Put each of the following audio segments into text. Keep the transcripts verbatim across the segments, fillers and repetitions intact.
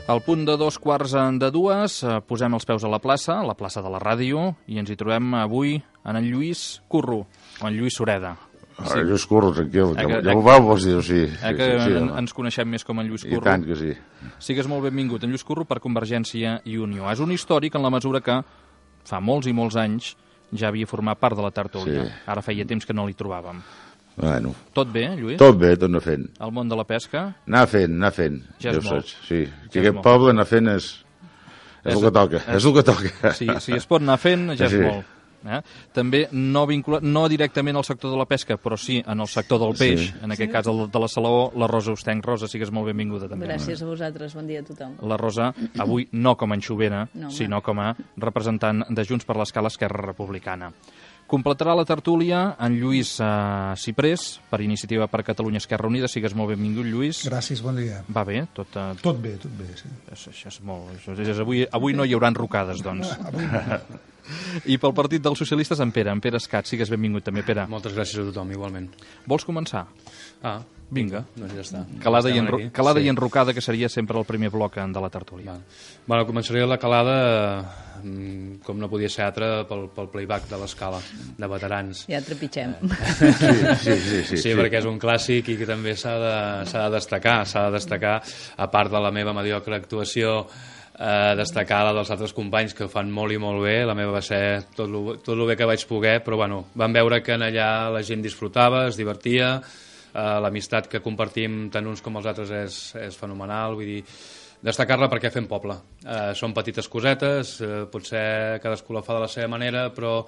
Al punt de dos quarts de dues posem els peus a la plaça, a la plaça de la ràdio, i ens hi trobem avui en en Lluís Curro, o en Lluís Sureda. Sí. Lluís Curro, tranquil, ja, ja ho vau vos dir, sí. Eh que sí, sí, en, ens coneixem més com en Lluís Curro. I tant que sí. Sigues molt benvingut, en Lluís Curro, per Convergència i Unió. És un històric en la mesura que fa molts i molts anys ja havia format part de la tertúlia. Sí. Ara feia temps que no l'hi trobàvem. Bueno. Tot bé, Lluís? Tot bé, tot anar fent. El món de la pesca? Anar fent, anar fent. Ja és molt. Sí, que aquest poble anar fent és, és, és el que toca, és, és el que toca. Si, si es pot anar fent, ja sí. És molt. Eh? També no vinculat, no directament al sector de la pesca, però sí en el sector del peix, sí. En aquest sí. Cas el de la Salaó, la Rosa Ostenc. Rosa, sigues molt benvinguda també. Gràcies a vosaltres, bon dia a tothom. La Rosa, avui no com a anxovera, no, sinó com a representant de Junts per l'Escala Esquerra Republicana. Completarà la tertúlia en Lluís uh, Ciprés, per Iniciativa per Catalunya Esquerra Unida. Sigues molt benvingut, Lluís. Gràcies, bon dia. Va bé? Tot, uh... tot bé, tot bé, sí. Això, això és molt... Això és, avui, avui no hi haurà enrocades, doncs. I pel Partit dels Socialistes, en Pere. En Pere Escat, sigues benvingut també, Pere. Moltes gràcies a tothom, igualment. Vols començar? Ah, vinga. Doncs ja està. Calada, i, enro... calada sí. I enrocada, que seria sempre el primer bloc de la tertúlia. Val. Bueno, començaré la calada, com no podia ser altra, pel, pel playback de l'Escala, de veterans. Ja trepitgem. Sí, sí, sí, sí, sí, sí, perquè és un clàssic i que també s'ha de, s'ha de destacar, s'ha de destacar, a part de la meva mediocre actuació, eh, destacar la dels altres companys que ho fan molt i molt bé. La meva va ser tot lo, tot lo bé que vaig poder, però bueno, vam veure que en allà la gent disfrutava, es divertia, eh, l'amistat que compartim tant uns com els altres és, és fenomenal, vull dir, destacar-la perquè fem poble. Eh, són petites cosetes, eh, potser cadascú la fa de la seva manera, però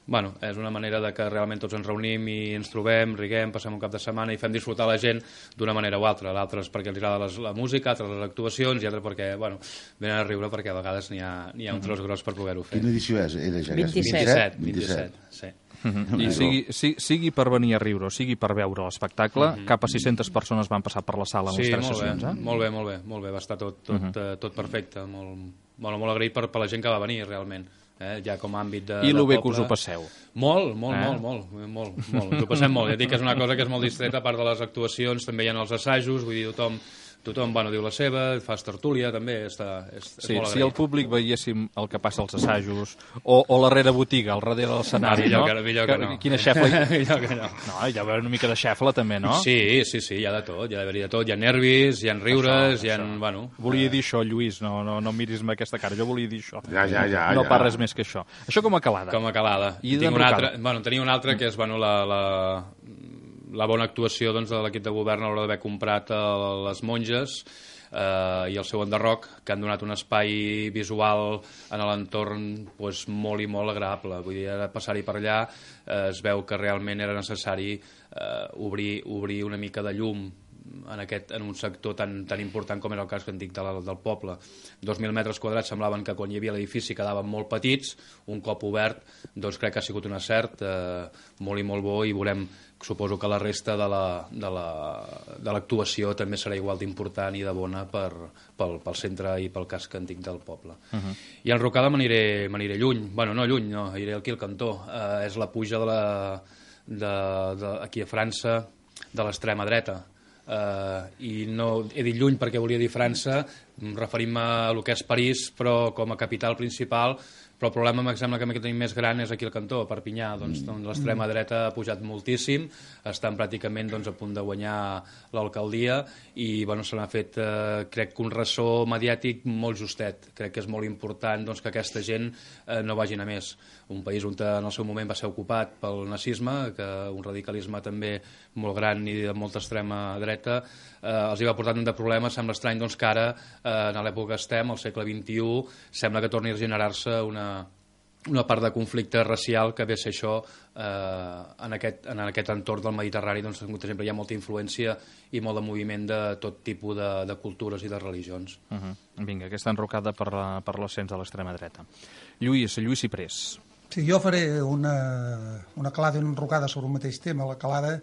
bueno, és una manera de que realment tots ens reunim i ens trobem, riguem, passem un cap de setmana i fem disfrutar la gent d'una manera o altra. L'altra és perquè els agrada les, la música, altres les actuacions, i altres perquè, bueno, venen a riure perquè a vegades n'hi ha, n'hi ha un tros gros per poder-ho fer. Quina edició és? Era ja vint-i-set. vint-i-set, sí. Uh-huh. I sigui, sigui, sigui per venir a riure o sigui per veure l'espectacle, uh-huh. Cap a sis-centes persones van passar per la sala en sí, les tres molt sessions. Bé, eh? molt bé, molt bé, molt bé, va estar tot, tot, uh-huh. uh, tot perfecte, molt, bueno, molt agraït per, per la gent que va venir realment, eh? Ja com a àmbit de, I de lo bé poble. Que us ho passeu. Molt, molt, eh? molt, molt, molt, molt, ens ho passem molt, ja dic que és una cosa que és molt distreta, a part de les actuacions, també hi ha els assajos, vull dir, tothom tothom bueno, diu la seva, fas tertúlia també, està, és, és sí, molt si el públic veiéssim el que passa als assajos o, o la rere botiga, al darrere de l'escenari, no? No? Millor que no. Quina xefla... millor que no. No, hi ha d'haver una mica de xefla també, no? Sí, sí, sí, hi ha de tot, hi ha d'haver de tot, hi ha nervis, hi ha riures, això, hi ha... Això. Bueno, volia dir això, Lluís, no, no, no miris amb aquesta cara, jo volia dir això. Ja, ja, ja. No ja. parles més que això. Això com a calada. Com a calada. I tinc una altra, bueno, tenia una altra que és bueno, la, la, la bona actuació doncs, de l'equip de govern a l'hora d'haver comprat a les monges eh, i el seu enderroc, que han donat un espai visual en l'entorn pues, molt i molt agradable. Vull dir, ara passar-hi per allà eh, es veu que realment era necessari eh, obrir, obrir una mica de llum en, aquest, en un sector tan, tan important com era el cas que en dic de la, del poble. dos mil metres quadrats semblaven que quan hi havia l'edifici quedaven molt petits, un cop obert doncs crec que ha sigut un acert eh, molt i molt bo, i veurem, suposo que la resta de la, de la, de l'actuació també serà igual d'important i de bona per, pel, pel centre i pel casc antic del poble. Uh-huh. I enrocada m'aniré, m'aniré lluny, bueno, no lluny, no, aniré aquí al cantó, eh, és la puja de la, de, de, aquí a França de l'extrema dreta. Uh, i no he dit lluny perquè volia dir França, referim-me a el que és París, però com a capital principal, però el problema, em sembla que que tenim més gran és aquí al cantó, a Perpinyà, doncs, doncs l'extrema dreta ha pujat moltíssim, estan pràcticament doncs, a punt de guanyar l'alcaldia i bueno, se n'ha fet, eh, crec que un ressò mediàtic molt justet. Crec que és molt important doncs, que aquesta gent eh, no vagin a més. Un país on en el seu moment va ser ocupat pel nazisme, que un radicalisme també molt gran i de molta extrema dreta, eh, els hi va portar tant de problemes. Sembla estrany doncs, que ara, eh, en l'època que estem, al segle vint-i-u, sembla que torni a generar-se una una part de conflicte racial que ve a ser això eh, en, aquest, en aquest entorn del Mediterrani, doncs sempre hi ha molta influència i molt de moviment de tot tipus de, de cultures i de religions. Uh-huh. Vinga, aquesta enrocada per, la, per l'ascens de l'extrema dreta. Lluís, Lluís Ciprés. Sí, jo faré una, una calada i una enrocada sobre el mateix tema. La calada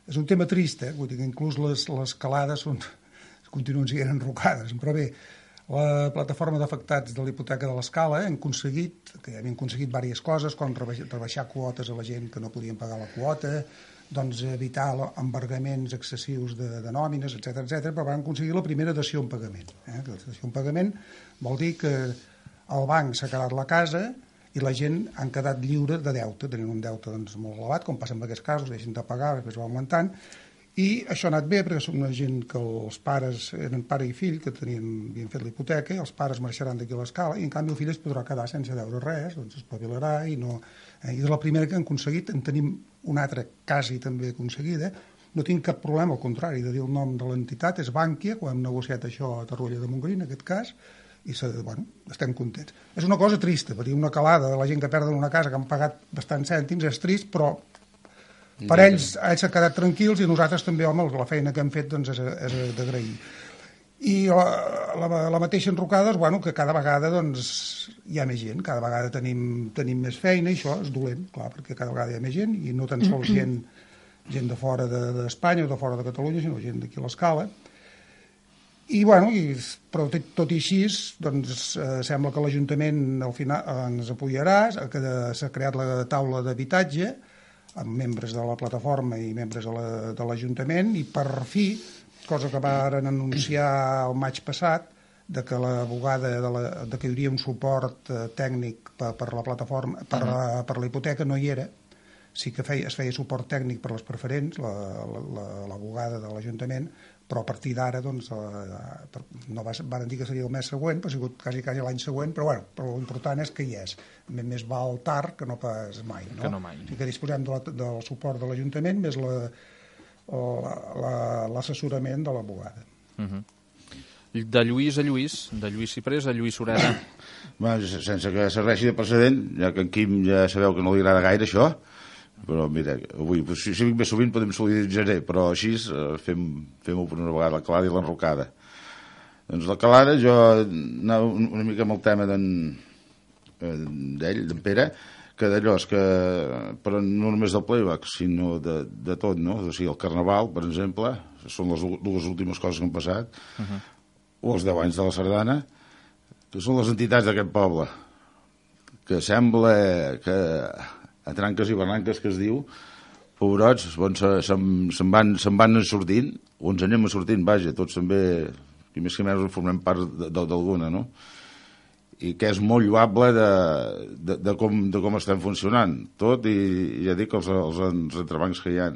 és un tema trist, eh? Vull dir que inclús les, les calades són, continuen sent enrocades, però bé, La plataforma d'afectats de l'hipoteca de l'Escala hem aconseguit, que ja hem aconseguit diverses coses, com rebaixar quotes a la gent que no podien pagar la quota, doncs evitar embargaments excessius de, de nòmines, etcètera, etcètera, però vam aconseguir la primera dació en pagament. Eh? La dació en pagament vol dir que el banc s'ha quedat la casa i la gent han quedat lliure de deute, tenint un deute doncs, molt elevat, com passa en aquests casos, deixen de pagar, després va augmentant, i això ha anat bé perquè som una gent que els pares eren pare i fill, que tenien, havien fet la hipoteca, i els pares marxaran d'aquí a l'Escala, i en canvi el fill es podrà quedar sense deure res, doncs es espavilarà, i no... Eh, I de la primera que han aconseguit, en tenim una altra quasi també aconseguida, no tinc cap problema, al contrari, de dir el nom de l'entitat, és Bànquia, quan hem negociat això a Torroella de Montgrí, en aquest cas, i bueno, estem contents. És una cosa trista, perquè una calada de la gent que perden una casa, que han pagat bastants cèntims, és trist, però per ells ells s'han quedat tranquils i nosaltres també, home, la feina que hem fet doncs, és, és d'agrair. I la, la, la mateixa enrocada, bueno, que cada vegada doncs, hi ha més gent, cada vegada tenim, tenim més feina, i això és dolent, clar, perquè cada vegada hi ha més gent, i no tan sols gent, gent de fora d'Espanya o de fora de Catalunya, sinó gent d'aquí a l'Escala. I, bueno, i, però tot i així, doncs, eh, sembla que l'Ajuntament al final ens apoyarà, que s'ha creat la taula d'habitatge, amb membres de la plataforma i membres de l'Ajuntament, i per fi, cosa que varen anunciar el maig passat, de que l'abogada de, la, de que hi hauria un suport eh, tècnic per, per la plataforma, per, uh-huh. per la hipoteca, no hi era. Sí que feia, es feia suport tècnic per les preferents, l'abogada de l'Ajuntament, però a partir d'ara, doncs, eh, no va, van dir que seria el mes següent, però ha sigut quasi, quasi l'any següent, però bueno, però l'important és que hi és. Més val tard que no pas mai, no? Que no mai. O sigui que disposem de la, del suport de l'Ajuntament més l'assessorament la, la, de l'abogada. Uh-huh. De Lluís a Lluís, de Lluís Ciprés a Lluís Sureda. Bueno, sense que serveixi de precedent, ja que en Quim ja sabeu que no li agrada gaire això, però mira, avui, si, si vinc més sovint podem solidaritzar, però així eh, fem, fem-ho per una vegada, la calada i l'enrocada. Doncs la calada, jo anava una mica amb el tema d'en d'ell, d'en Pere, que d'allò és que, però no només del playback, sinó de, de tot, no? O sigui, el Carnaval, per exemple, són les dues últimes coses que han passat, uh-huh. o els deu anys de la Sardana, que són les entitats d'aquest poble, que sembla que a tranques i barranques que es diu, pobrots, bon, se'n se van, se van sortint, o ens anem sortint, vaja, tots també, i més que menys formem part d'alguna, no? I que és molt lloable de, de, de, com, de com estem funcionant, tot, i ja dic els, els, els entrebancs que hi ha.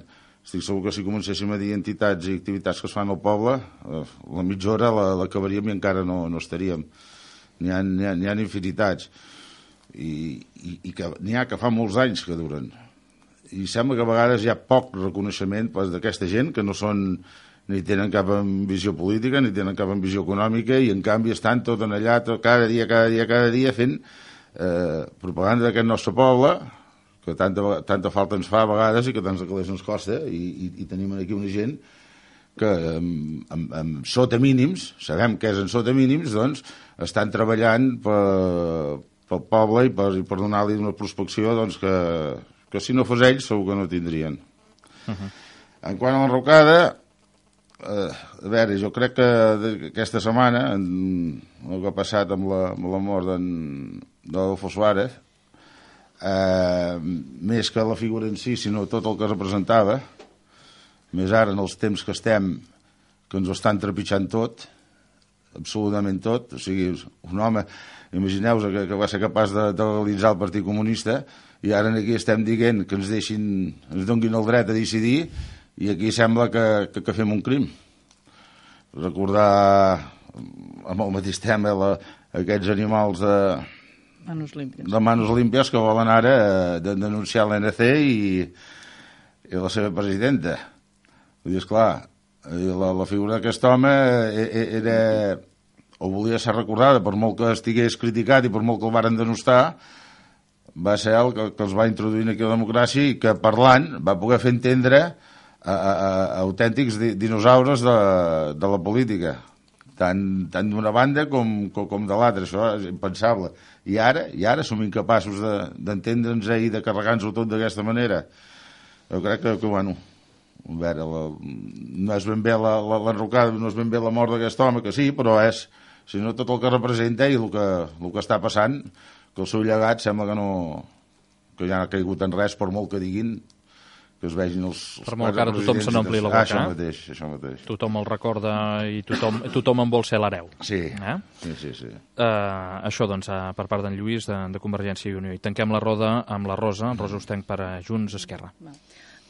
Estic segur que si comencéssim a dir entitats i activitats que es fan al poble, la mitja hora l'acabaríem i encara no, no estaríem. N'hi ha, n'hi ha, n'hi ha infinitats. I, i, i que n'hi ha que fa molts anys que duren, i sembla que a vegades hi ha poc reconeixement d'aquesta gent que no són, ni tenen cap ambició política ni tenen cap ambició econòmica, i en canvi estan tot en allà, tot, cada dia, cada dia, cada dia fent eh, propaganda d'aquest nostre poble, que tanta, tanta falta ens fa a vegades i que tants de calés ens costa, i, i, i tenim aquí una gent que amb, amb, amb sota mínims, sabem que és en sota mínims, doncs estan treballant per pel poble i per, i per donar-li una prospecció doncs, que, que si no fos ells segur que no tindrien. Uh-huh. En quant a l'enrocada, eh, a veure, jo crec que aquesta setmana, en, el que ha passat amb la, amb la mort d'Adolfo Suárez, eh, més que la figura en si, sinó tot el que representava, més ara en els temps que estem, que ens ho estan trepitjant tot, absolutament tot, o sigui, un home, imagineu-vos que, que va ser capaç de, de legalitzar el Partit Comunista, i ara aquí estem dient que ens deixin, ens donguin el dret a decidir, i aquí sembla que, que, que fem un crim. Recordar amb el mateix tema la, aquests animals de Manos limpias. de Manos limpias que volen ara de, denunciar l'A N C i, i la seva presidenta. Vull dir, esclar, la, la figura d'aquest home era, o volia ser recordada, per molt que estigués criticat i per molt que el varen denostar, va ser el que, que els va introduir aquí a la democràcia, i que parlant va poder fer entendre a, a, a autèntics dinosaures de, de la política, tant, tant d'una banda com, com, com de l'altra. Això és impensable. I ara, i ara som incapaços d'entendre'ns de, i de carregar-nos-ho tot d'aquesta manera. Jo crec que, que bueno, a veure, la, no és ben bé l'enrocada, no és ben bé la mort d'aquest home, que sí, però és sinó tot el que representa i el que, el que està passant, que el seu llegat sembla que no que ja no ha caigut en res, per molt que diguin, que es vegin els... Per molt que ara tothom se n'ompli la boca. Ah, això mateix, això mateix. Tothom el recorda i tothom, tothom en vol ser l'hereu. Sí, eh? sí, sí. sí. Uh, això, doncs, uh, per part d'en Lluís, de, de Convergència i Unió. I tanquem la roda amb la Rosa, Rosa Ostenc per a Junts Esquerra. Va.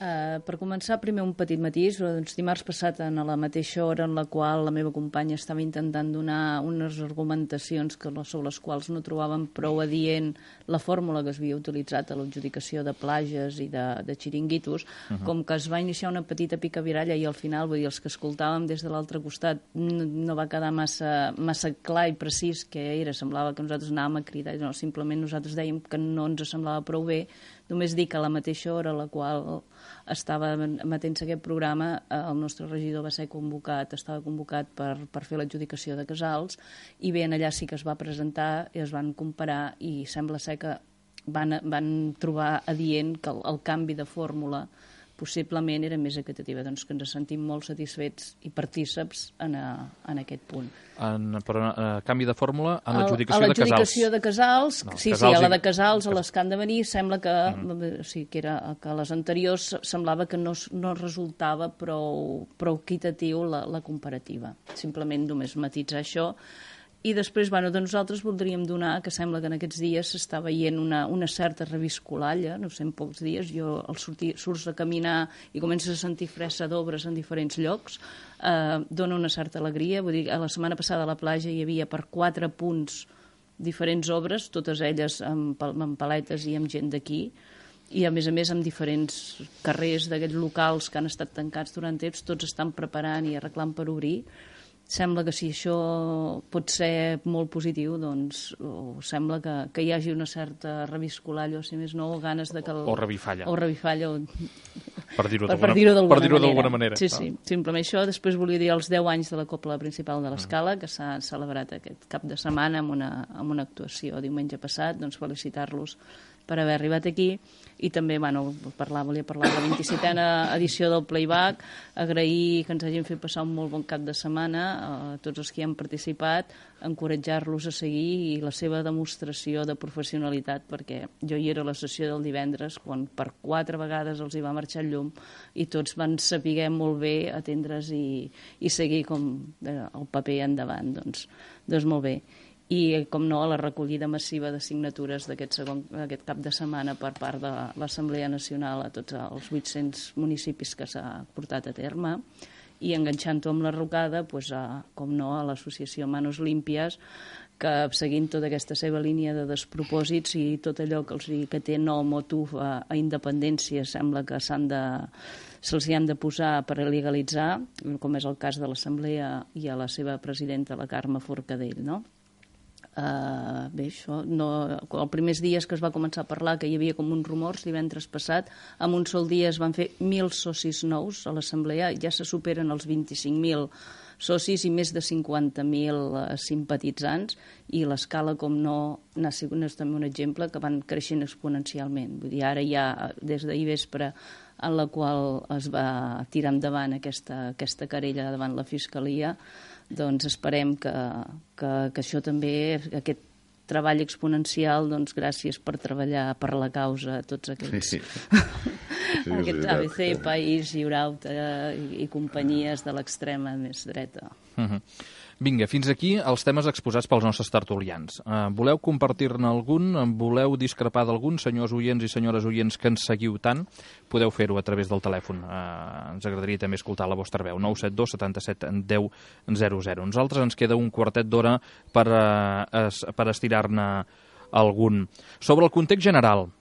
Uh, per començar, primer un petit matís. Doncs, dimarts passat, en la mateixa hora en la qual la meva companya estava intentant donar unes argumentacions que, sobre les quals no trobàvem prou adient la fórmula que es havia utilitzat a l'adjudicació de plages i de, de xiringuitos, uh -huh. com que es va iniciar una petita picaviralla i al final, vull dir, els que escoltàvem des de l'altre costat no, no va quedar massa, massa clar i precís què era. Semblava que nosaltres anàvem a cridar, no, simplement nosaltres dèiem que no ens semblava prou bé. Només dic que a la mateixa hora a la qual estava emetent-se aquest programa, el nostre regidor va ser convocat, estava convocat per, per fer l'adjudicació de casals, i bé, allà sí que es va presentar i es van comparar i sembla ser que van, van trobar adient que el, el canvi de fórmula possiblement era més equitativa, doncs que ens sentim molt satisfets i partíceps en, a, en aquest punt. En, però a canvi de fórmula en l'adjudicació de casals. A l'adjudicació de casals, no, sí, casals sí, a la i... de casals, a les que han de venir, sembla que, mm. sí, que, era, que a les anteriors semblava que no, no resultava prou, prou equitatiu la, la comparativa. Simplement només matitzar això. I després, bueno, doncs nosaltres voldríem donar, que sembla que en aquests dies s'està veient una, una certa reviscolalla, no sé, en pocs dies, jo al sortir, surts a caminar i comences a sentir fressa d'obres en diferents llocs, eh, dona una certa alegria. Vull dir, a la setmana passada a la platja hi havia per quatre punts diferents obres, totes elles amb, amb paletes i amb gent d'aquí, i a més a més amb diferents carrers d'aquests locals que han estat tancats durant temps, tots estan preparant i arreglant per obrir. Sembla que si això pot ser molt positiu, doncs o sembla que, que hi hagi una certa reviscolalla, o si més no, ganes de que... El, o revifalla. O revifalla. O... Per dir-ho per, d'alguna, per dir per dir d'alguna manera. Sí, sí, simplement això. Després volia dir els deu anys de la Copla Principal de l'Escala, que s'ha celebrat aquest cap de setmana amb una, amb una actuació diumenge passat, doncs felicitar-los per haver arribat aquí, i també, bueno, parlar, volia parlar de la vint-i-setena edició del Playback, agrair que ens hagin fet passar un molt bon cap de setmana a tots els que hi han participat, encoratjar-los a seguir i la seva demostració de professionalitat, perquè jo hi era a la sessió del divendres, quan per quatre vegades els hi va marxar el llum i tots van saber molt bé atendre's i, i seguir com el paper endavant, doncs, doncs molt bé. I, com no, la recollida massiva de signatures d'aquest segon aquest cap de setmana per part de l'Assemblea Nacional a tots els vuit-cents municipis que s'ha portat a terme, i enganxant-ho amb la rocada, doncs, a, com no, a l'associació Manos Límpies, que seguint tota aquesta seva línia de despropòsits i tot allò que, els, que té nom o tuf a, a independència sembla que s'han de se'ls hi han de posar per legalitzar, com és el cas de l'Assemblea i a la seva presidenta, la Carme Forcadell, no? Uh, bé, això, no, els primers dies que es va començar a parlar que hi havia com uns rumors divendres passat, en un sol dia es van fer mil socis nous a l'Assemblea, ja se superen els vint-i-cinc mil socis i més de cinquanta mil uh, simpatitzants, i l'Escala, com no, n'ha sigut no és també un exemple, que van creixent exponencialment. Vull dir, ara ja, des d'ahir vespre, en la qual es va tirar endavant aquesta, aquesta querella davant la Fiscalia, doncs esperem que, que, que això també, aquest treball exponencial, doncs gràcies per treballar per la causa a tots aquests, sí, sí. Sí, aquests A B C, País, Lliurauta i, i companyies de l'extrema més dreta. Uh-huh. Vinga, fins aquí els temes exposats pels nostres tertulians. Uh, voleu compartir-ne algun? Voleu discrepar d'algun? Senyors oients i senyores oients que ens seguiu tant, podeu fer-ho a través del telèfon. Uh, ens agradaria també escoltar la vostra veu. nou set dos setanta-set deu zero zero. Nosaltres ens queda un quartet d'hora per, uh, es, per estirar-ne algun. Sobre el context general,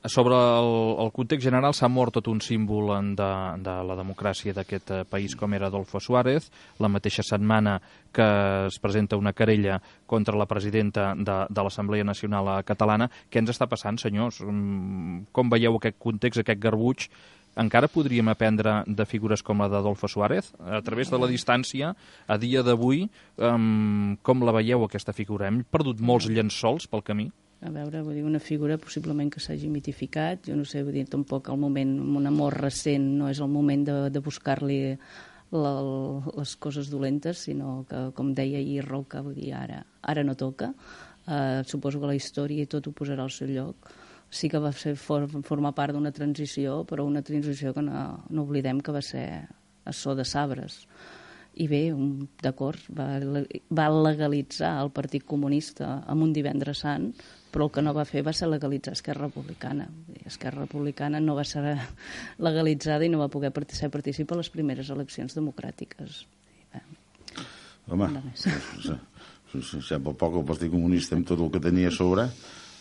sobre el, el context general s'ha mort tot un símbol de, de la democràcia d'aquest país com era Adolfo Suárez, la mateixa setmana que es presenta una querella contra la presidenta de, de l'Assemblea Nacional Catalana. Què ens està passant, senyors? Com veieu aquest context, aquest garbuix? Encara podríem aprendre de figures com la d'Adolfo Suárez? A través de la distància, a dia d'avui, um, com la veieu, aquesta figura? Hem perdut molts llençols pel camí? A veure, vull dir, una figura possiblement que s'hagi mitificat, jo no sé, vull dir, tampoc el moment, un amor recent, no és el moment de, de buscar-li la, les coses dolentes, sinó que, com deia ahir Roca, vull dir, ara, ara no toca. Uh, suposo que la història i tot ho posarà al seu lloc. Sí que va ser for, formar part d'una transició, però una transició que no, no oblidem que va ser a so de sabres. I bé, d'acord, va, va legalitzar el Partit Comunista en un divendres sant, però el que no va fer va ser legalitzar Esquerra Republicana. Esquerra Republicana no va ser legalitzada i no va poder ser participar a les primeres eleccions democràtiques. Home, sembla poc el Partit Comunista amb tot el que tenia a sobre.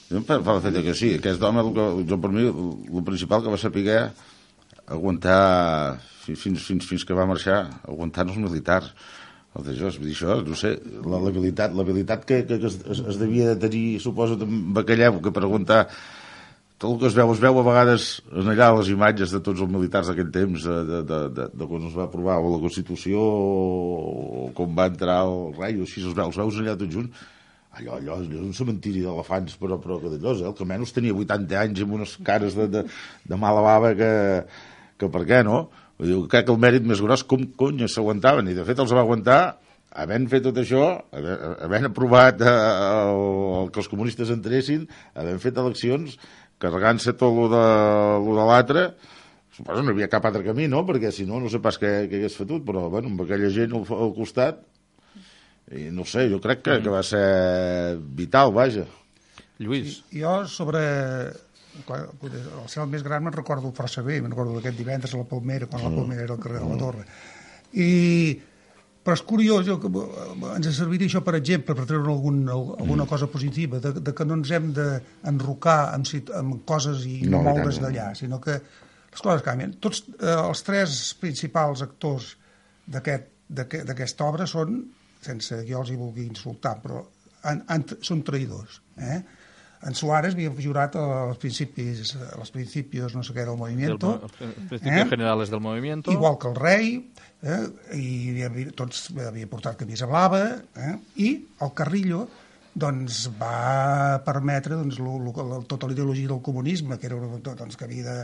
Fa el fet que sí, aquest home, jo per mi, el principal que va saber aguantar fins, fins, fins que va marxar, aguantant els militars. El de Jos, vull dir això, no sé, l'habilitat l'habilitat que, que, que es, es devia de tenir, suposo, amb aquella època per aguantar tot el que es veu, es veu a vegades en allà les imatges de tots els militars d'aquell temps, de, de, de, de, de quan es va aprovar la Constitució o com va entrar el rei, o així els veus, els veus allà tots junts, allò, allò, allò és un cementiri d'elefants, però, però que d'allò, eh? El que menys tenia vuitanta anys amb unes cares de, de, de mala bava que, que per què, no? Diu, crec que el mèrit més gros, com conya s'aguantaven, i de fet els va aguantar havent fet tot això, havent aprovat eh, el, que els comunistes entressin, havent fet eleccions, carregant-se tot lo de, lo de l'altre. Suposo no hi havia cap altre camí, no? Perquè si no, no sé pas què, què hagués fetut, però bueno, amb aquella gent al, al costat, i no sé, jo crec que, que va ser vital, vaja. Lluís. Sí, jo sobre... al ser el més gran me'n recordo força bé, me'n recordo d'aquest divendres a la Palmera, quan la Palmera era al carrer de la Torre. I, però és curiós, jo, ens serviria això, per exemple, per treure algun, alguna cosa positiva, de, de que no ens hem d'enrocar amb, amb coses i no moure's d'allà, sinó que les coses canvien. Tots eh, els tres principals actors d'aquesta aquest, obra són, sense que jo els hi vulgui insultar, però han, han, són traïdors, eh? En Suárez havia jurat als principis, als principios no sé què del movimiento. Els principios eh? generales del movimiento. Igual que el rei, eh? I havia, tots havia portat camisa blava, eh? I el Carrillo doncs, va permetre doncs, lo, lo, tota la ideologia del comunisme, que era doncs, que havia de,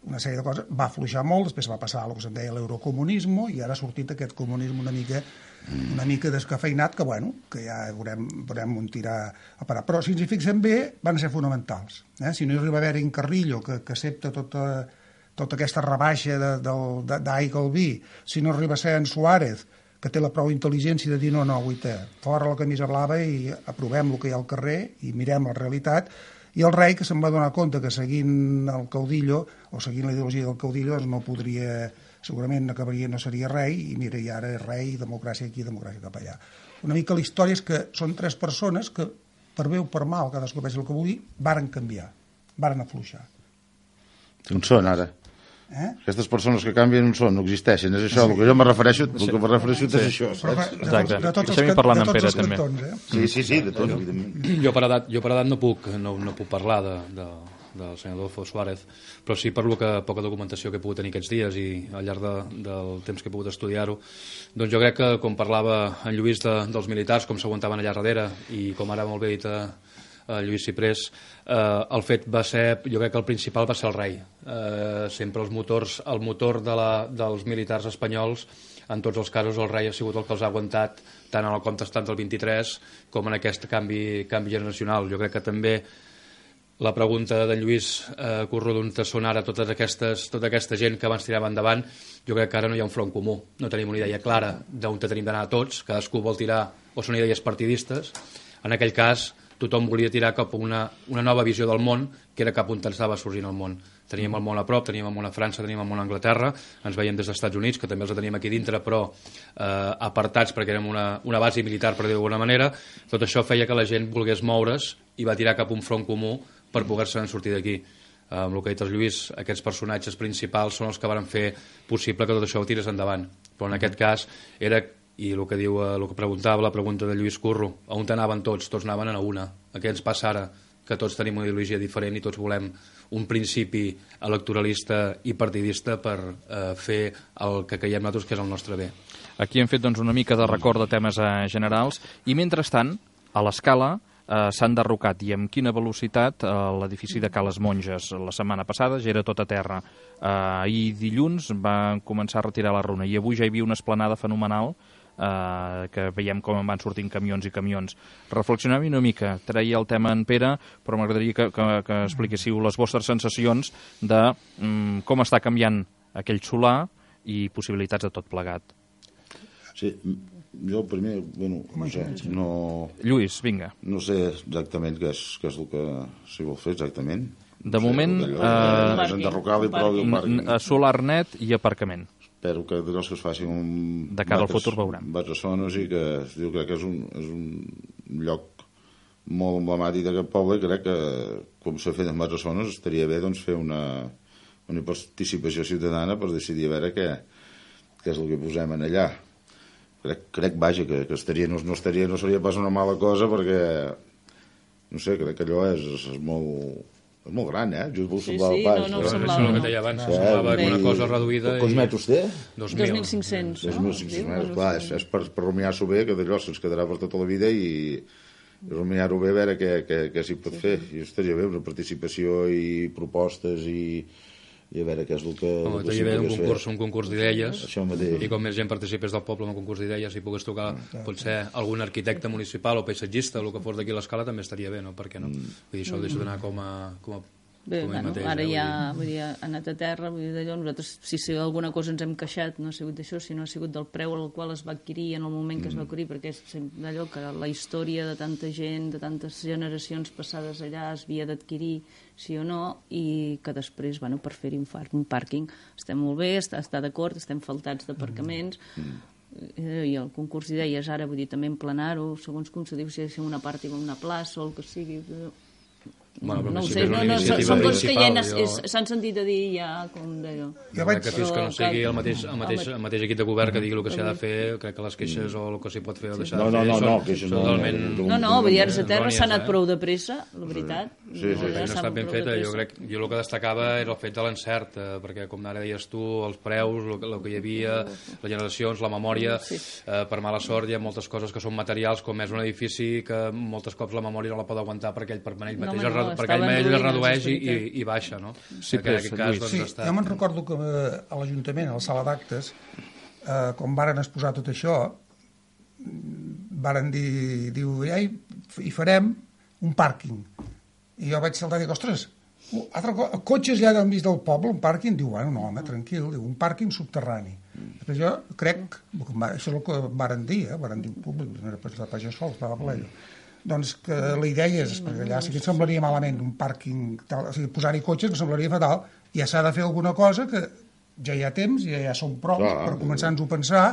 una sèrie de coses, va afluixar molt, després va passar a el que se'n deia l'eurocomunisme, i ara ha sortit aquest comunisme una mica una mica descafeinat, que bueno, que ja veurem, veurem on tirar a parar. Però si ens hi fixem bé, van ser fonamentals. Eh? Si no hi arriba a haver en Carrillo, que, que accepta tota, tota aquesta rebaixa d'aigua al vi, si no arriba a ser en Suárez, que té la prou intel·ligència de dir no, no, guaita, fora la camisa blava i aprovem el que hi ha al carrer i mirem la realitat, i el rei, que se'n va donar compte que seguint el caudillo, o seguint la ideologia del caudillo, doncs no podria... segurament acabaria, no seria rei, i mira, i ara és rei, democràcia aquí, democràcia cap allà. Una mica la història és que són tres persones que, per bé o per mal, cadascú pensa el que vulgui, varen canviar, varen afluixar. On són, ara? Eh? Aquestes persones que canvien on són, no existeixen, és això, sí. El que jo me refereixo, el que me refereixo sí. És això, saps? Exacte, deixem-hi parlant amb Pere, també. Cantons, eh? Sí, sí, sí, de tots, jo, evidentment. Jo per edat, jo per edat no, puc, no, no puc parlar de... de... del senyor Adolfo Suárez, però sí per lo que poca documentació que he pogut tenir aquests dies i al llarg de, del temps que he pogut estudiar-ho, doncs jo crec que, com parlava en Lluís de, dels militars, com s'aguantaven allà darrere, i com ara molt bé dit a, a Lluís Ciprés, eh, el fet va ser, jo crec que el principal va ser el rei. Eh, sempre els motors, el motor de la, dels militars espanyols, en tots els casos el rei ha sigut el que els ha aguantat tant en el contestant del vint-i-tres com en aquest canvi, canvi generacional. Jo crec que també la pregunta de Lluís eh, Curro, d'on són ara totes aquestes, tota aquesta gent que abans tirava endavant, jo crec que ara no hi ha un front comú, no tenim una idea clara d'on tenim d'anar tots, cadascú vol tirar, o són idees partidistes. En aquell cas tothom volia tirar cap a una, una nova visió del món, que era cap on estava sorgint el món. Teníem el món a prop, teníem el món a França, teníem el món a Anglaterra, ens veiem des dels Estats Units, que també els teníem aquí dintre, però eh, apartats perquè érem una, una base militar, per dir d'alguna manera. Tot això feia que la gent volgués moure's i va tirar cap a un front comú per poder-se sortir d'aquí. Eh, amb el que ha dit el Lluís, aquests personatges principals són els que van fer possible que tot això ho tirés endavant. Però en aquest cas era, i el que diu, el que preguntava la pregunta de Lluís Curro, a on anaven tots? Tots anaven a una. A què ens passa ara? Que tots tenim una ideologia diferent i tots volem un principi electoralista i partidista per eh, fer el que creiem nosaltres que és el nostre bé. Aquí hem fet doncs, una mica de record de temes eh, generals i mentrestant, a l'Escala, eh, s'ha enderrocat i amb quina velocitat eh, l'edifici de Cales Monges. La setmana passada ja era tot a terra. Eh, ahir dilluns van començar a retirar la runa i avui ja hi havia una esplanada fenomenal eh, que veiem com en van sortint camions i camions. Reflexionem una mica, treia el tema en Pere, però m'agradaria que, que, que expliquéssiu les vostres sensacions de mm, com està canviant aquell solar i possibilitats de tot plegat. Sí, jo primer, bueno, no sé, no... Lluís, vinga. No sé exactament què és, què és el que s'hi vol fer exactament. De moment... Eh, és enderrocar-li prou i un pàrquing. Solar net i aparcament. Espero que de que es faci un... De cara al futur veurem. Batressones i que es diu crec que és un, és un lloc molt emblemàtic d'aquest poble i crec que, com s'ha fet en Batressones, estaria bé doncs, fer una, una participació ciutadana per decidir a veure què, què és el que posem en allà. Crec, crec vaja, que, que estaria, no, no, estaria, no seria pas una mala cosa perquè, no sé, crec que allò és, és molt... És molt gran, eh? Just vol sí, semblar sí, el pas. no, no, eh? semblava. Això és el que deia abans, sí, semblava que una cosa reduïda... Quants metres té? dos mil cinc cents. dos mil cinc cents metres, clar, és, és per, per rumiar-s'ho bé, que d'allò se'ns quedarà per tota la vida i, i rumiar-ho bé, a veure què, què, què s'hi pot fer. I estaria bé una participació i propostes i... i a veure què és el que... Home, t'hi havia un concurs, un concurs d'idees, i com més gent participés del poble en un concurs d'idees i pogués tocar, potser algun arquitecte municipal o paisatgista o el que fos d'aquí a l'escala també estaria bé, no? Per què no? Vull dir, això ho deixo d'anar com a... Com a Bé, com bueno, mateix, ara eh? ja vull dir, ha anat a terra, vull dir, d'allò, nosaltres, si, si alguna cosa ens hem queixat, no ha sigut d'això, sinó ha sigut del preu al qual es va adquirir en el moment que es va adquirir, perquè és d'allò que la història de tanta gent, de tantes generacions passades allà es havia d'adquirir, sí o no, i que després, bueno, per fer-hi un, un pàrquing està molt bé, està, està d'acord, estem faltats d'aparcaments, mm. i el concurs d'idees ara, vull dir, també emplenar-ho, segons com se diu, si ha de ser una part i una plaça o el que sigui... Bueno, no ho si sé, no, no, són coses que ja jo... s'han sentit a dir ja, com d'allò. Jo crec que fins que no sigui el mateix, el mateix, el mateix equip de govern que digui el que s'ha de fer, crec que les queixes o el que s'hi pot fer o deixar no, de fer no, no, són, no, són totalment... No, no, vull dir, ara a terra s'ha anat prou de pressa, la veritat. Sí, sí, sí. No està ben feta, jo crec, jo el que destacava era el fet de l'encert, eh, perquè com ara deies tu, els preus, el, el que hi havia, les generacions, la memòria, eh, per mala sort hi ha moltes coses que són materials, com és un edifici que moltes cops la memòria no la pot aguantar perquè ell per ell mateix, no, no, per ell mateix redueix i, i, i baixa, no? Sí, que en aquest cas, doncs, sí està... jo me'n recordo que a l'Ajuntament, a la sala d'actes, eh, quan varen exposar tot això, varen dir, diu, ja hi, hi farem un pàrquing. I jo vaig saltar i dic, ostres, altre co cotxes ja han vist del poble, un pàrquing? Diu, bueno, no, home, tranquil, diu, un pàrquing subterrani. Després jo crec, això és el que varen dir, eh, varen dir en públic, no era pas, pas jo sol, estava ple, doncs que la idea és, perquè allà sí que et semblaria malament un pàrquing, tal, o sigui, posar-hi cotxes que semblaria fatal, ja s'ha de fer alguna cosa que ja hi ha temps, ja, ja som prou per començar-nos a pensar,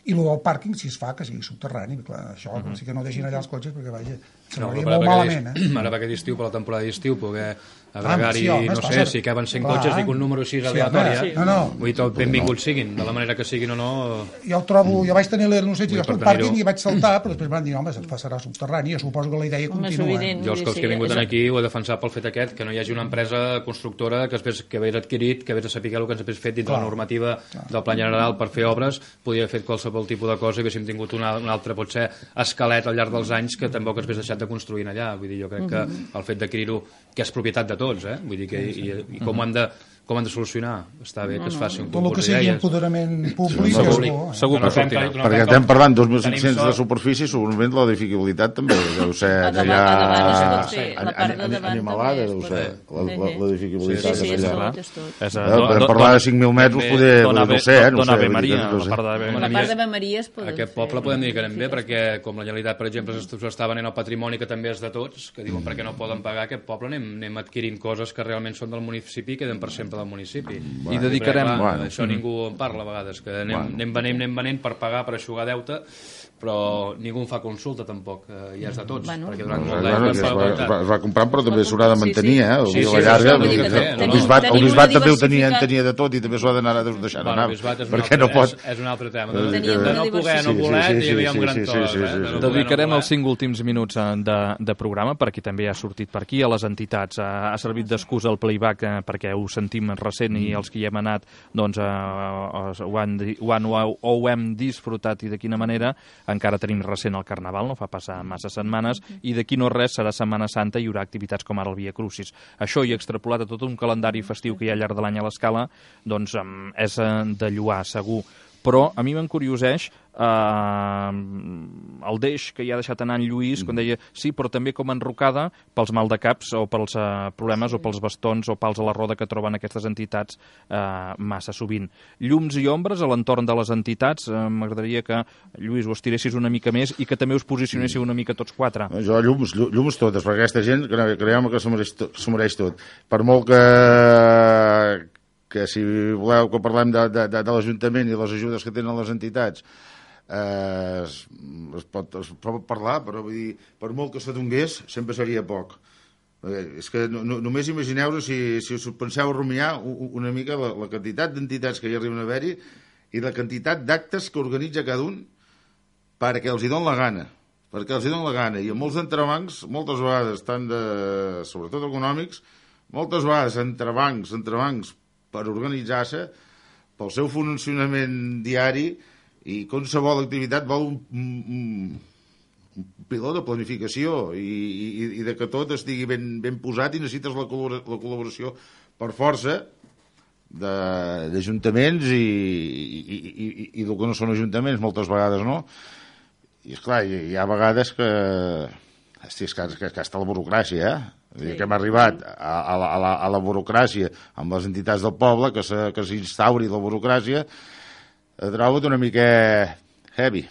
i el del pàrquing, si es fa, que sigui subterrani, clar, això, uh -huh. sí que no deixin allà els cotxes, perquè, vaja, semblaria no, molt malament, eh? Ara per aquest estiu, per la temporada d'estiu, poder agregar-hi, ah, sí, no sé, si caben cent clar, cotxes, dic un número així aleatori, sí, no, no. vull dir, tot benvinguts siguin, de la manera que siguin o no... Jo el trobo, jo vaig tenir l'anunci de un pàrquing i vaig saltar, però després van dir, home, se't serà subterrani, jo suposo que la idea continua. Jo els que he vingut aquí ho he defensat pel fet aquest, que no hi hagi una empresa constructora que després que hagués adquirit, que hagués de saber el que ens hagués fet dins de la normativa del Pla General per fer obres, podia haver fet qualsevol tipus de cosa i haguéssim tingut un altre, potser, esquelet al llarg dels anys que tampoc ens hagués deixat de construir allà. Vull dir, jo crec que el fet d'adquirir-ho, que és propietat de tots, eh? Vull dir que i, i com ho han de com han de solucionar? Està bé que es faci un concurs d'ideies. Tot el que sigui empoderament públic sí, segur, eh? segur que sortirà. Perquè estem parlant dos mil cinc-cents de superfície, segurament la edificabilitat també deu ser allà animalada, deu ser l'edificabilitat per parlar de cinc mil metres poder, no sé, eh? Dona Ave Maria, la part d'Ave Maria es pot... Aquest poble podem dir que anem bé, perquè com la Generalitat, per exemple, s'està venent el patrimoni que també és de tots, que diuen perquè no poden pagar aquest poble, anem adquirint coses que realment són del municipi i queden per sempre del municipi. I dedicarem... Això ningú en parla a vegades, que anem venent, anem venent per pagar, per aixugar deute, però ningú en fa consulta tampoc, i és de tots, perquè durant molt d'anys es va comprant però també s'haurà de mantenir, eh? A la llarga el bisbat també ho tenia de tot i també s'ho ha d'anar deixant anar, perquè no pot... És un altre tema, de no poder, no voler, hi havia un gran to. Dedicarem els cinc últims minuts de programa, perquè també ha sortit per aquí, a les entitats. Ha servit d'excusa el playback perquè ho sentim recent i els que hi hem anat doncs ho han o ho hem disfrutat i de quina manera. encara tenim recent el Carnaval, no fa passar massa setmanes, i d'aquí no res serà Setmana Santa i hi haurà activitats com ara el Via Crucis. Això i extrapolat a tot un calendari festiu que hi ha al llarg de l'any a l'Escala, doncs és de lloar, segur. Però a mi m'encurioseix eh, el deix que hi ha deixat anar en Lluís, quan deia, sí, però també com enrocada pels maldecaps o pels eh, problemes o pels bastons o pals a la roda que troben aquestes entitats eh, massa sovint. Llums i ombres a l'entorn de les entitats, eh, m'agradaria que, Lluís, ho estiressis una mica més i que també us posicionéssiu una mica tots quatre. Jo llums, llums totes, perquè aquesta gent, creiem que s'ho mereix, mereix tot. Per molt que... que si voleu que parlem de, de, de, de l'Ajuntament i les ajudes que tenen les entitats, eh, es, es, pot, es pot parlar, però vull dir, per molt que se donés, sempre seria poc. Eh, és que no, no, només imagineu-vos si, si us penseu rumiar una mica la, la quantitat d'entitats que hi arriben a haver-hi i la quantitat d'actes que organitza cada un perquè els hi don la gana. Perquè els hi don la gana. I amb molts entrebancs, moltes vegades, tant de, sobretot econòmics, moltes vegades entrebancs, entrebancs, per organitzar-se, pel seu funcionament diari, i qualsevol activitat vol un, un, un piló de planificació i, i, i de que tot estigui ben, ben posat i necessites la, la col·laboració per força d'ajuntaments i, i, i, i, i del que no són ajuntaments, moltes vegades no. I esclar, hi, hi ha vegades que... Hosti, és que, que, que està la burocràcia, eh? Sí. Que hem arribat a, a, la, a, la, a la burocràcia amb les entitats del poble, que s'instauri la burocràcia, trobo una mica heavy.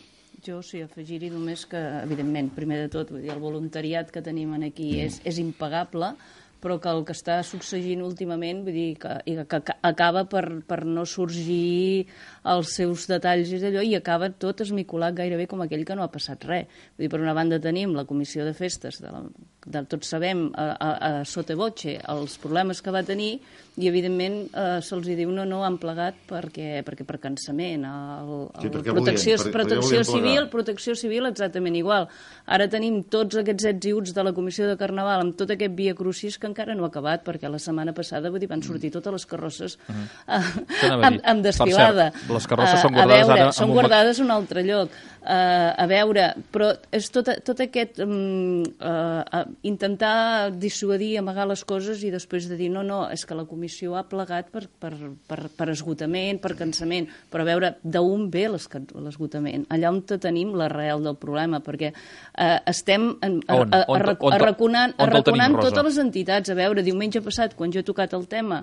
Jo sí, afegir-hi només que, evidentment, primer de tot, vull dir, el voluntariat que tenim aquí mm. és, és impagable, però que el que està succeint últimament, vull dir, que, que, que acaba per, per no sorgir els seus detalls i d'allò, i acaba tot esmicolat gairebé com aquell que no ha passat res. Vull dir, per una banda tenim la comissió de festes, de la, de, tots sabem a, a, a sota voce els problemes que va tenir, i evidentment eh, se'ls diu no, no, han plegat perquè, perquè per cansament. El, el sí, protecció volien, per, protecció civil, protecció civil exactament igual. Ara tenim tots aquests ets i uts de la comissió de Carnaval amb tot aquest Via Crucis que encara no ha acabat, perquè la setmana passada vull dir, van sortir totes les carrosses uh-huh. uh, amb, amb desfilada. Per cert, les carrosses uh, són guardades veure, ara... Són guardades a un altre lloc. Uh, a veure, però és tot, tot aquest um, uh, intentar dissuadir, amagar les coses i després de dir no, no, és que la comissió ha plegat per, per, per, per esgotament, per cansament, però a veure d'on ve l'esgotament, allà on tenim l'arrel del problema, perquè uh, estem en, a, a, a, a, arraconant, arraconant totes les entitats. A veure, diumenge passat, quan jo he tocat el tema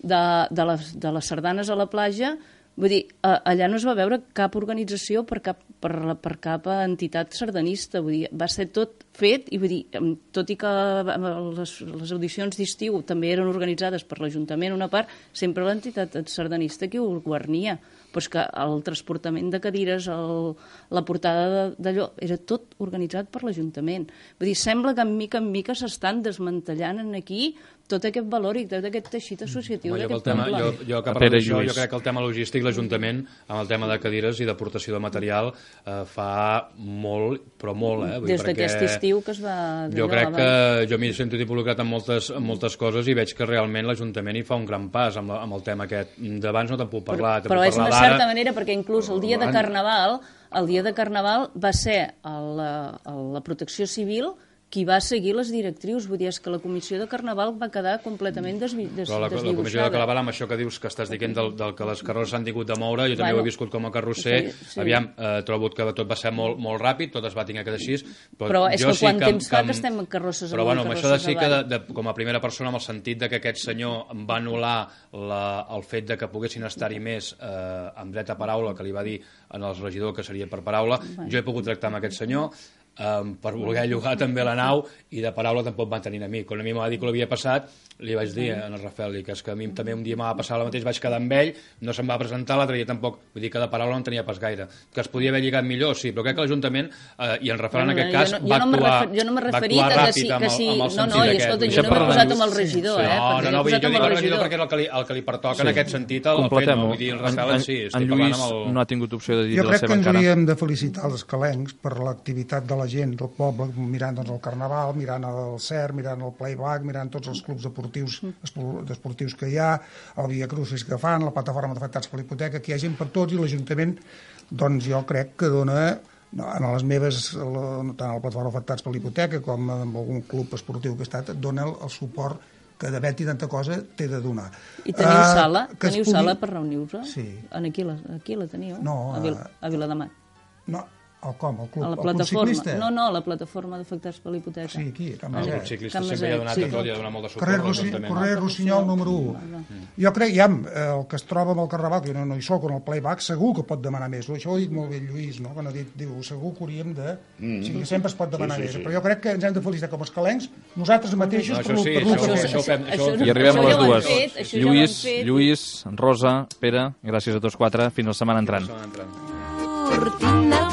de, de, les, de les sardanes a la platja, vull dir, allà no es va veure cap organització per cap, per, per cap entitat sardanista, vull dir, va ser tot fet, i vull dir, tot i que les, les audicions d'estiu també eren organitzades per l'Ajuntament una part, sempre l'entitat sardanista qui ho guarnia, però és que el transportament de cadires, el, la portada d'allò, era tot organitzat per l'Ajuntament. Vull dir, sembla que en mica en mica s'estan desmantellant aquí tot aquest valor i tot aquest teixit associatiu d'aquest poble. Jo, jo que parlo d'això, jo crec que el tema logístic, l'Ajuntament, amb el tema de cadires i d'aportació de material, eh, fa molt, però molt, eh? Vull Des d'aquest estiu que es va... Jo crec que jo m'hi sento involucrat en moltes, en moltes coses i veig que realment l'Ajuntament hi fa un gran pas amb, la, amb el tema aquest. D'abans no te'n puc parlar. Però, però és una certa manera, perquè inclús el dia de Carnaval, el dia de Carnaval va ser la, la Protecció Civil qui va seguir les directrius, vull dir, és que la comissió de Carnaval va quedar completament desvi, des, Però la, desdibuixada. La comissió de Carnaval, amb això que dius que estàs dient del, del que les carrosses s'han tingut de moure, jo també bueno, ho he viscut com a carrosser, sí. Aviam, eh, trobo que tot va ser molt, molt ràpid, tot es va tenir que deixir, però, però és jo que quan sí temps que, fa que estem en carrosses però bueno, amb això de sí que, de, de, com a primera persona, amb el sentit de que aquest senyor va anul·lar la, el fet de que poguessin estar-hi més eh, amb dret a paraula, que li va dir en el regidor que seria per paraula, bueno. Jo he pogut tractar amb aquest senyor, Um, per voler llogar també la nau i de paraula tampoc van tenir a mi. Quan a mi m'ha dit que l'havia passat, li vaig dir a en el Rafael que és que a mi també un dia m'ha passat el mateix, vaig quedar amb ell, no se'm va presentar, l'altre dia tampoc, vull dir que de paraula no en tenia pas gaire. Que es podia haver lligat millor, sí, però crec que l'Ajuntament, eh, i en Rafael en aquest cas, no, va no actuar, refer, jo no m'he referit a que sí, que sí, amb el, amb el no, no, i escolta, jo no m'he posat amb el regidor, eh? No, no, no, vull dir, jo dic el regidor perquè és el que li, el que li pertoca en aquest sentit, el fet, no, vull dir, el Rafael sí, estic parlant amb el... no ha tingut opció de dir la seva encara. Jo crec que ens hauríem de felicitar els escalencs per l'activitat de la gent del poble, mirant doncs, el Carnaval, mirant el C E R, mirant el Playback, mirant tots els clubs deportius, esportius que hi ha, el Via Crucis que fan, la plataforma d'afectats per l'hipoteca, que hi ha gent per tots i l'Ajuntament, doncs jo crec que dona No, en les meves, tant a la plataforma afectats per l'hipoteca com en algun club esportiu que he estat, et dona el, el suport que d'haver-hi tanta cosa té de donar. I teniu uh, sala? Teniu pugui... sala per reunir-vos? Sí. Aquí la, aquí la teniu? No. A, Vil, a Viladamat? No, el com? El club, a la el club ciclista? No, no, la plataforma d'afectats per l'hipoteca. Sí, aquí, a Can El Maset. club ciclista sempre hi ha donat sí. tot, hi ha donat molt de suport. Carrer, Rossi, carrer Rossinyol número u. Mm. Jo crec, ja, el que es troba amb el Carnaval, que jo no, no hi soc, en el playback, segur que pot demanar més. Això ho ha dit molt bé Lluís, no? Quan ha dit, diu, segur que hauríem de... Mm. O sigui, sempre es pot demanar sí, sí, sí. més. Però jo crec que ens hem de felicitar com els calencs, nosaltres mateixos... No, això sí, això, això, això, fem, això, I arribem a les dues. Fet, Lluís, Lluís, Rosa, Pere, gràcies a tots quatre. Fins la setmana entrant. Cortina